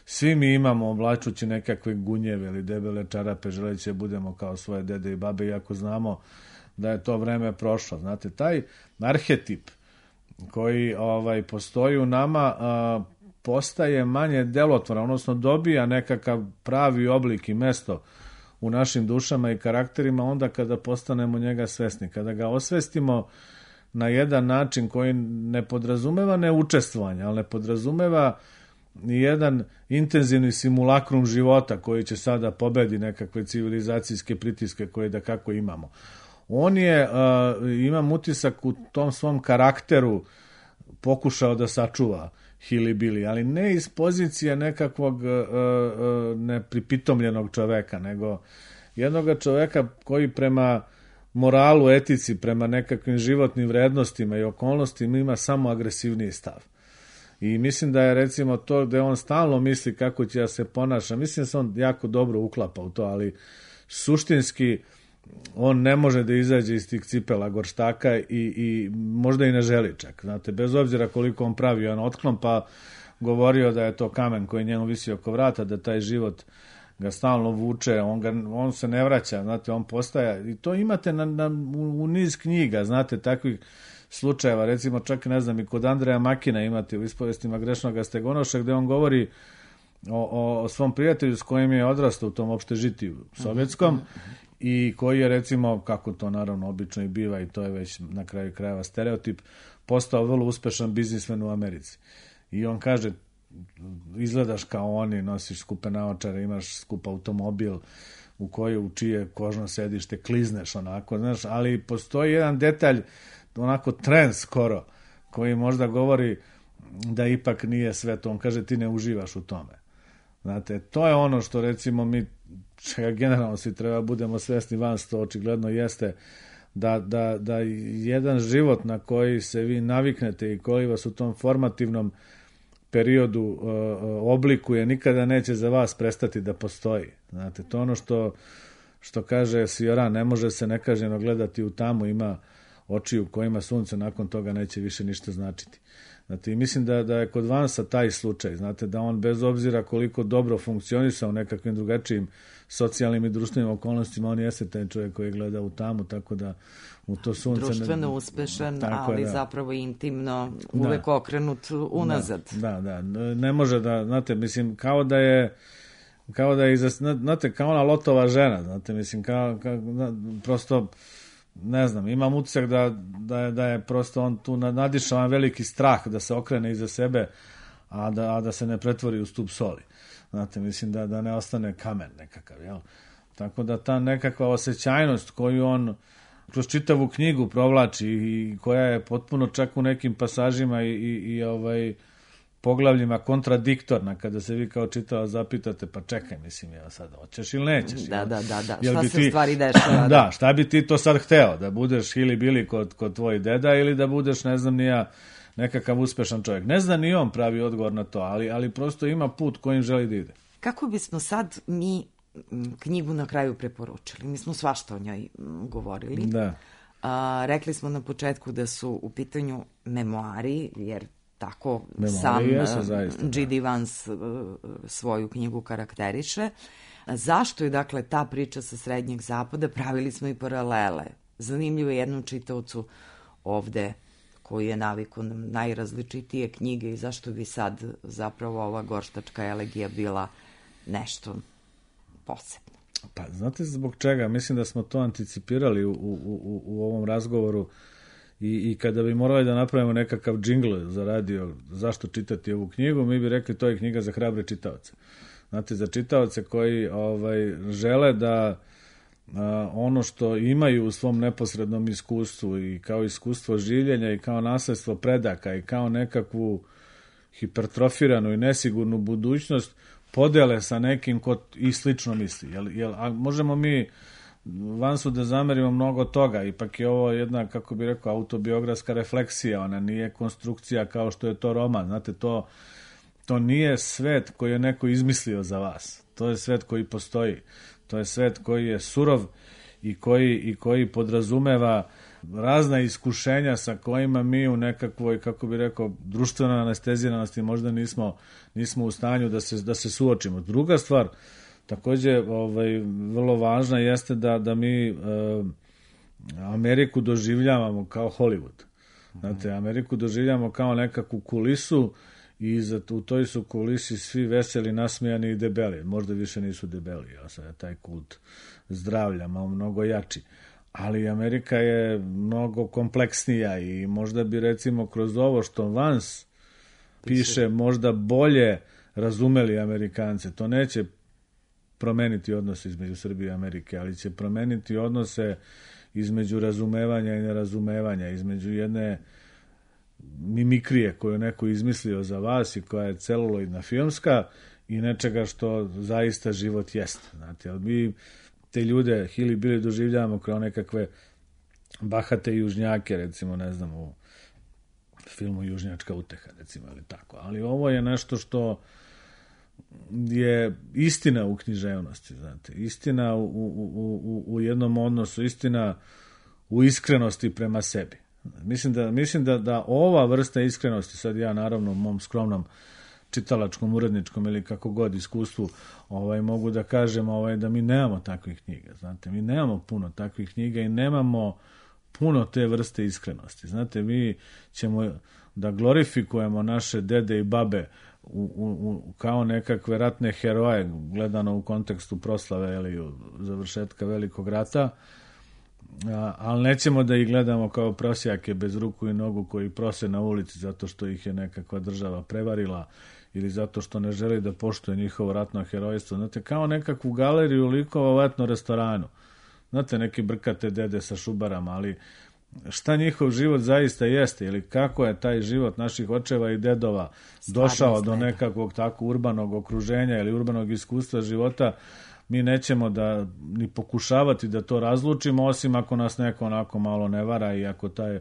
svi mi imamo oblačući nekakve gunjeve ili debele čarape, želeći da budemo kao svoje dede i babe, iako znamo da je to vreme prošlo. Znate, taj arhetip koji ovaj, postoji u nama a, postaje manje delotvoran, odnosno dobija nekakav pravi oblik i mesto u našim dušama i karakterima onda kada postanemo njega svesni, kada ga osvestimo na jedan način koji ne podrazumeva neučestvovanje, ali ne podrazumeva ni jedan intenzivni simulakrum života koji će sada pobedi nekakve civilizacijske pritiske koje da kako imamo. On je, uh, imam utisak, u tom svom karakteru pokušao da sačuva Hilibili, ali ne iz pozicije nekakvog uh, uh, nepripitomljenog čoveka, nego jednog čoveka koji prema moralu, etici, prema nekakvim životnim vrednostima i okolnostima ima samo agresivniji stav. I mislim da je recimo to da on stalno misli kako će ja se ponaša, mislim da se on jako dobro uklapa u to, ali suštinski on ne može da izađe iz tih cipela gorštaka i, i možda i ne želi čak. Znate, bez obzira koliko on pravio jedan otklon, pa govorio da je to kamen koji njemu visi oko vrata, da taj život ga stalno vuče, on, ga, on se ne vraća, znate, on postaje, i to imate na, na, u, u niz knjiga, znate, takvih slučajeva, recimo čak, ne znam, i kod Andreja Makina imate u ispovestima grešnog Stegonoša, gde on govori o, o, o svom prijatelju s kojim je odrastao u tom opštežitiju sovjetskom, i koji je, recimo, kako to naravno obično i biva, i to je već na kraju krajeva stereotip, postao vrlo uspešan biznismen u Americi. I on kaže, izgledaš kao oni, nosiš skupe naočare, imaš skup automobil u koji, u čije kožno sedište klizneš onako, znaš, ali postoji jedan detalj, onako trend skoro, koji možda govori da ipak nije sve to. On kaže, ti ne uživaš u tome. Znate, to je ono što, recimo, mi čega generalno svi treba budemo svesni, van to očigledno jeste da, da, da jedan život na koji se vi naviknete i koji vas u tom formativnom periodu uh, oblikuje, nikada neće za vas prestati da postoji. Znate, to ono što, što kaže Sioran, ne može se nekažnjeno gledati u tamu, ima oči u kojima sunce nakon toga neće više ništa značiti. Znate, i mislim da, da je kod Vansa taj slučaj, znate, da on bez obzira koliko dobro funkcionisao u nekakvim drugačijim socijalnim i društvenim okolnostima, on jeste taj čovjek koji gleda u tamu, tako da u to sunce... Društveno ne, uspešan, tako, ali da, zapravo intimno uvek da, okrenut unazad. Da, da, da, ne može da, znate, mislim, kao da je kao da je, znate, kao ona Lotova žena, znate, mislim, kao, kao prosto ne znam, imam utisak da, da, je, da je prosto on tu nadišao veliki strah da se okrene iza sebe, a da, a da se ne pretvori u stup soli. Znate, mislim da, da ne ostane kamen nekakav, jel? Tako da ta nekakva osjećajnost koju on kroz čitavu knjigu provlači i koja je potpuno čak u nekim pasažima i, i, i ovaj poglavljima kontradiktorna, kada se vi kao čitao zapitate, pa čekaj, mislim, ja sad hoćeš ili nećeš? Da, jel? da, da, da. Jel Šta bi se ti, u stvari dešava? Da, šta bi ti to sad hteo? Da budeš Hili Bili kod, kod tvoj deda ili da budeš, ne znam, nija nekakav uspešan čovjek? Ne zna ni on pravi odgovor na to, ali, ali prosto ima put kojim želi da ide. Kako bismo sad mi knjigu na kraju preporučili? Mi smo svašta o njoj govorili. Da. A, rekli smo na početku da su u pitanju memoari, jer tako memoari sam jesu, zaista, G D Vance svoju knjigu karakteriše. Zašto je, dakle, ta priča sa Srednjeg zapada? Pravili smo i paralele. Zanimljivo je jednom čitaocu ovde koji je naviku na najrazličitije knjige i zašto bi sad zapravo ova gorštačka elegija bila nešto posebno. Pa znate zbog čega? Mislim da smo to anticipirali u, u, u, u ovom razgovoru i, i kada bi morali da napravimo nekakav džingl za radio zašto čitati ovu knjigu, mi bi rekli to je knjiga za hrabre čitaoce. Znate, za čitaoce koji ovaj, žele da a, ono što imaju u svom neposrednom iskustvu i kao iskustvo življenja i kao nasledstvo predaka i kao nekakvu hipertrofiranu i nesigurnu budućnost podele sa nekim ko i slično misli. Jel, jel, a možemo mi Vansu da zamerimo mnogo toga, ipak je ovo jedna, kako bi rekao, autobiografska refleksija, ona nije konstrukcija kao što je to roman. Znate, to, to nije svet koji je neko izmislio za vas. To je svet koji postoji. To je svet koji je surov i koji, i koji podrazumeva razna iskušenja sa kojima mi u nekakvoj, kako bi rekao, društvenoj anesteziranosti možda nismo, nismo u stanju da se, da se suočimo. Druga stvar, takođe, ovaj, vrlo važna jeste da, da mi e, Ameriku doživljavamo kao Hollywood. Znate, Ameriku doživljavamo kao nekakvu kulisu i za, u toj su kulisi svi veseli, nasmijani i debeli. Možda više nisu debeli, ja sad je taj kult zdravlja malo mnogo jači. Ali Amerika je mnogo kompleksnija i možda bi recimo kroz ovo što Vance piše možda bolje razumeli Amerikance. To neće promeniti odnose između Srbije i Amerike, ali će promeniti odnose između razumevanja i nerazumevanja, između jedne mimikrije koju je neko izmislio za vas i koja je celuloidna filmska i nečega što zaista život jeste. Znate, ali mi te ljude Hili Bili doživljavamo kao nekakve bahate južnjake, recimo, ne znam, u filmu Južnjačka uteha, recimo, ili tako. Ali ovo je nešto što je istina u književnosti, znate, istina u, u, u, u jednom odnosu, istina u iskrenosti prema sebi. Mislim da, mislim da, da ova vrsta iskrenosti, sad ja naravno u mom skromnom čitalačkom, uredničkom ili kako god iskustvu, ovaj, mogu da kažem ovaj, da mi nemamo takvih knjiga, znate, mi nemamo puno takvih knjiga i nemamo puno te vrste iskrenosti. Znate, mi ćemo da glorifikujemo naše dede i babe u, u, u, kao nekakve ratne heroje, gledano u kontekstu proslave ili završetka Velikog rata, a, ali nećemo da ih gledamo kao prosjake bez ruku i nogu koji prose na ulici zato što ih je nekakva država prevarila ili zato što ne želi da poštuje njihovo ratno herojstvo. Znate, kao nekakvu galeriju likova u etno restoranu. Znate, neki brkate dede sa šubarama, ali šta njihov život zaista jeste ili kako je taj život naših očeva i dedova došao do nekakvog tako urbanog okruženja ili urbanog iskustva života, mi nećemo da ni pokušavati da to razlučimo, osim ako nas neko onako malo ne vara i ako taj,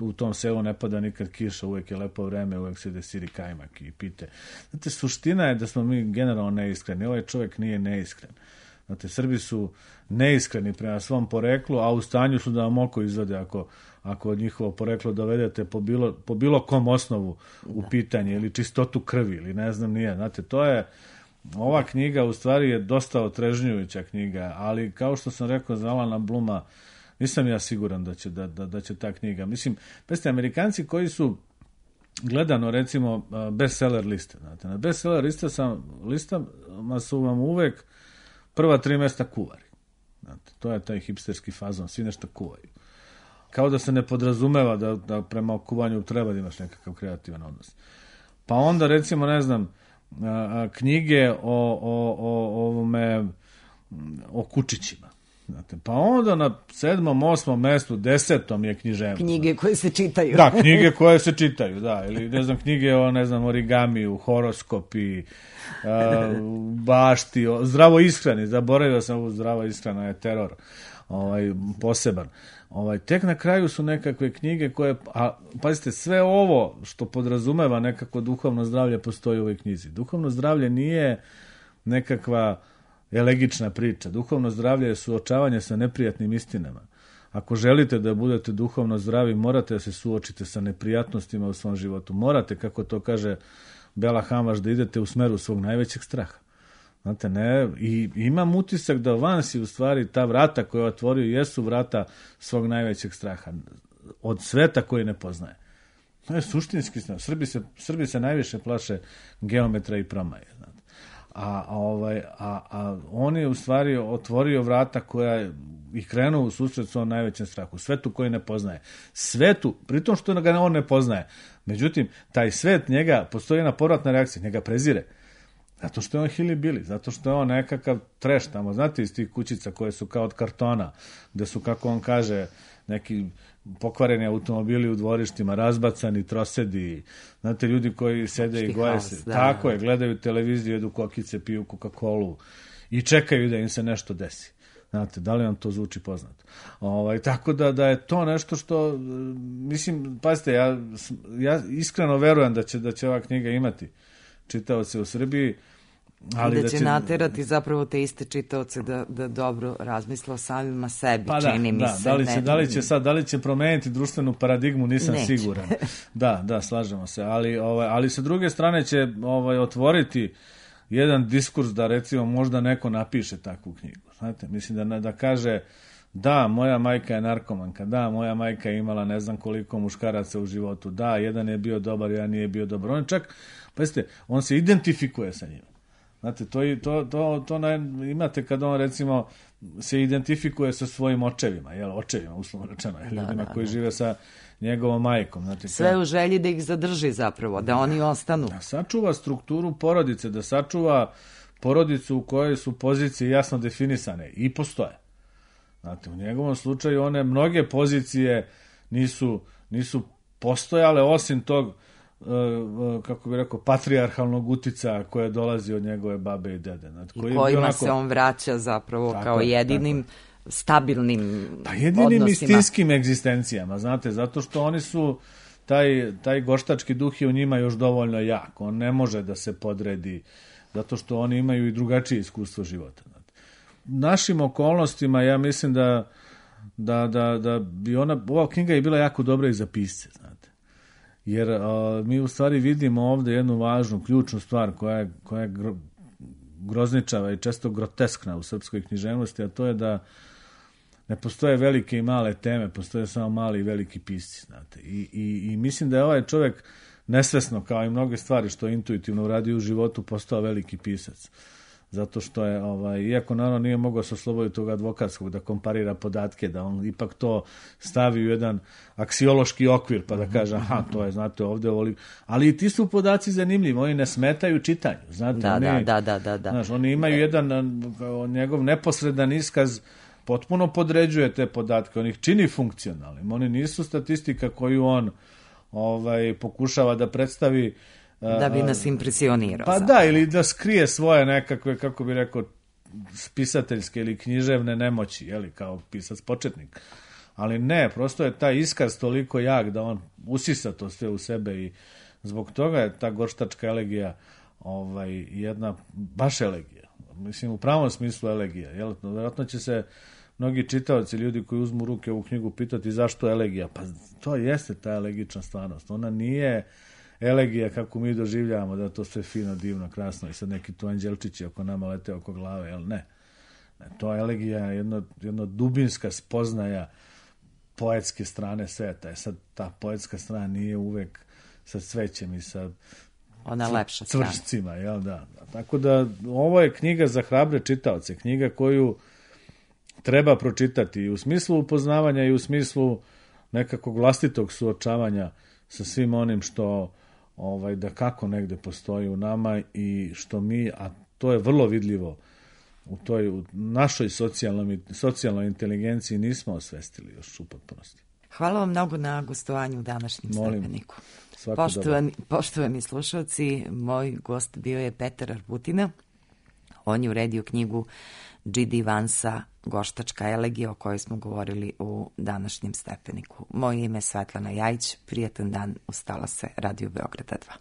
u tom selu ne pada nikad kiša, uvek je lepo vreme, uvek se desiri kajmak i pite. Znate, suština je da smo mi generalno neiskreni. Ovaj čovjek nije neiskren. Znate, Srbi su neiskreni prema svom poreklu, a u stanju su da vam oko izvade ako, ako od njihovo poreklo dovedete po bilo, po bilo kom osnovu u pitanje ili čistotu krvi ili ne znam nije. Znate, to je, ova knjiga u stvari je dosta otrežnjujuća knjiga, ali kao što sam rekao za Alana Bluma, nisam ja siguran da će, da, da, da će ta knjiga. Mislim, peste, Amerikanci koji su gledano, recimo, bestseller liste. Znate, na bestseller lista sam, listama su vam uvek prva tri mesta kuvari. Znate, to je taj hipsterski fazon, svi nešto kuvaju. kao da se ne podrazumeva da, da prema okuvanju treba da imaš nekakav kreativan odnos. Pa onda recimo, ne znam, a, a, knjige o, o, o, ovome, o kučićima. Znate, pa onda na sedmom, osmom mestu, desetom je književnost. Knjige koje se čitaju. Da, knjige koje se čitaju, da. Ili, ne znam, knjige o, ne znam, origamiju, horoskopi, a, bašti, o, zdravo ishrani. Zaboravio sam ovu zdravo ishrana, je teror ovaj, poseban. Ovaj, tek na kraju su nekakve knjige koje, a pazite, sve ovo što podrazumeva nekako duhovno zdravlje postoji u ovoj knjizi. Duhovno zdravlje nije nekakva elegična priča. Duhovno zdravlje je suočavanje sa neprijatnim istinama. Ako želite da budete duhovno zdravi, morate da se suočite sa neprijatnostima u svom životu. Morate, kako to kaže Bela Hamaš, da idete u smeru svog najvećeg straha. Znate, ne, i imam utisak da van si u stvari ta vrata koja je otvorio jesu vrata svog najvećeg straha. Od sveta koji ne poznaje. To je suštinski stav. Srbi se, Srbi se najviše plaše geometra i promaje. Znate. A, a, ovaj, a, a on je u stvari otvorio vrata koja i krenuo u susret svom najvećem strahu. Svetu koji ne poznaje. Svetu, pritom što ga on ne poznaje. Međutim, taj svet njega, postoji jedna povratna reakcija, njega prezire. Zato što je on hilibili, zato što je on nekakav treš tamo, znate, iz tih kućica koje su kao od kartona, gde su, kako on kaže, neki pokvareni automobili u dvorištima, razbacani trosedi, znate, ljudi koji sede i goje se, da. Tako je, gledaju televiziju, jedu kokice, piju Coca-Colu i čekaju da im se nešto desi. Znate, da li vam to zvuči poznato? Ovaj, tako da, da je to nešto što, mislim, pazite, ja, ja iskreno verujem da će, da će ova knjiga imati čitaoce u Srbiji, ali da, da će, će naterati zapravo te iste čitaoce da, da dobro razmisle o samima sebi, pa čini da, mi da, se. Da li, će, da li će sad, da li će promeniti društvenu paradigmu, nisam Neće. siguran. Da, da, slažemo se, ali, ovaj, ali sa druge strane će ovaj, otvoriti jedan diskurs da recimo možda neko napiše takvu knjigu. Znate, mislim da, da kaže da, moja majka je narkomanka, da, moja majka je imala ne znam koliko muškaraca u životu, da, jedan je bio dobar, jedan nije bio dobar. On čak, pazite, on se identifikuje sa njima. Znate, to, to, to, to naj, imate kad on recimo se identifikuje sa svojim očevima, jel, očevima, uslovno rečeno, da, ljudima da, koji da. žive sa njegovom majkom. Znate, sve u želji da ih zadrži zapravo, da oni ostanu. Da sačuva strukturu porodice, da sačuva porodicu u kojoj su pozicije jasno definisane i postoje. Znate, u njegovom slučaju one mnoge pozicije nisu, nisu postojale, osim tog, kako bi rekao, patrijarhalnog utica koje dolazi od njegove babe i dede. Znate, koji I kojima onako, se on vraća zapravo tako, kao jedinim tako. stabilnim pa jedinim odnosima. istinskim egzistencijama, znate, zato što oni su, taj, taj goštački duh je u njima još dovoljno jak. On ne može da se podredi, zato što oni imaju i drugačije iskustvo života. Našim okolnostima ja mislim da, da, da, da bi ona, ova knjiga je bila jako dobra i za pisce, znate. Jer a, mi u stvari vidimo ovde jednu važnu, ključnu stvar koja je, koja je gro, grozničava i često groteskna u srpskoj književnosti, a to je da ne postoje velike i male teme, postoje samo mali i veliki pisci, znate. I, i, i mislim da je ovaj čovjek nesvesno, kao i mnoge stvari što intuitivno uradio u životu, postao veliki pisac. Zato što je, ovaj, iako naravno nije mogao se osloboditi tog advokatskog da komparira podatke, da on ipak to stavi u jedan aksiološki okvir, pa da kaže, aha, to je, znate, ovde ovoli. Ali i ti su podaci zanimljivi, oni ne smetaju čitanju, znate. Da, oni, da, da, da, da. Znaš, oni imaju jedan, njegov neposredan iskaz potpuno podređuje te podatke, on ih čini funkcionalnim, oni nisu statistika koju on ovaj, pokušava da predstavi da bi nas impresionirao. Pa zapravo. Da, ili da skrije svoje nekakve, kako bi rekao, pisateljske ili književne nemoći, jeli, kao pisac početnik. Ali ne, prosto je taj iskaz toliko jak da on usisa to sve u sebe i zbog toga je ta gorštačka elegija ovaj, jedna baš elegija. Mislim, u pravom smislu elegija. Jel? Vjerojatno će se mnogi čitaoci, ljudi koji uzmu u ruke ovu knjigu, pitati zašto elegija. Pa to jeste ta elegična stvarnost. Ona nije elegija kako mi doživljavamo, da je to sve fino, divno, krasno i sad neki tu anđelčići oko nama lete oko glave, jel ne? ne to je elegija, jedno, jedno dubinska spoznaja poetske strane sveta. Je sad ta poetska strana nije uvek sa cvećem i sa ona lepša cvršcima, jel da? Tako da ovo je knjiga za hrabre čitaoce, knjiga koju treba pročitati i u smislu upoznavanja i u smislu nekakvog vlastitog suočavanja sa svim onim što ovaj, da kako negde postoji u nama i što mi, a to je vrlo vidljivo u toj u našoj socijalnoj, socijalnoj inteligenciji nismo osvestili još u potpunosti. Hvala vam mnogo na gostovanju u današnjem Molim, Stepeniku. svako Poštovani, poštovani slušalci, moj gost bio je Petar Arbutina. On je uredio knjigu G D. Vansa Goštačka elegija o kojoj smo govorili u današnjem Stepeniku. Moje ime je Svetlana Jajić, prijatan dan, ustala se Radio Beograda dva.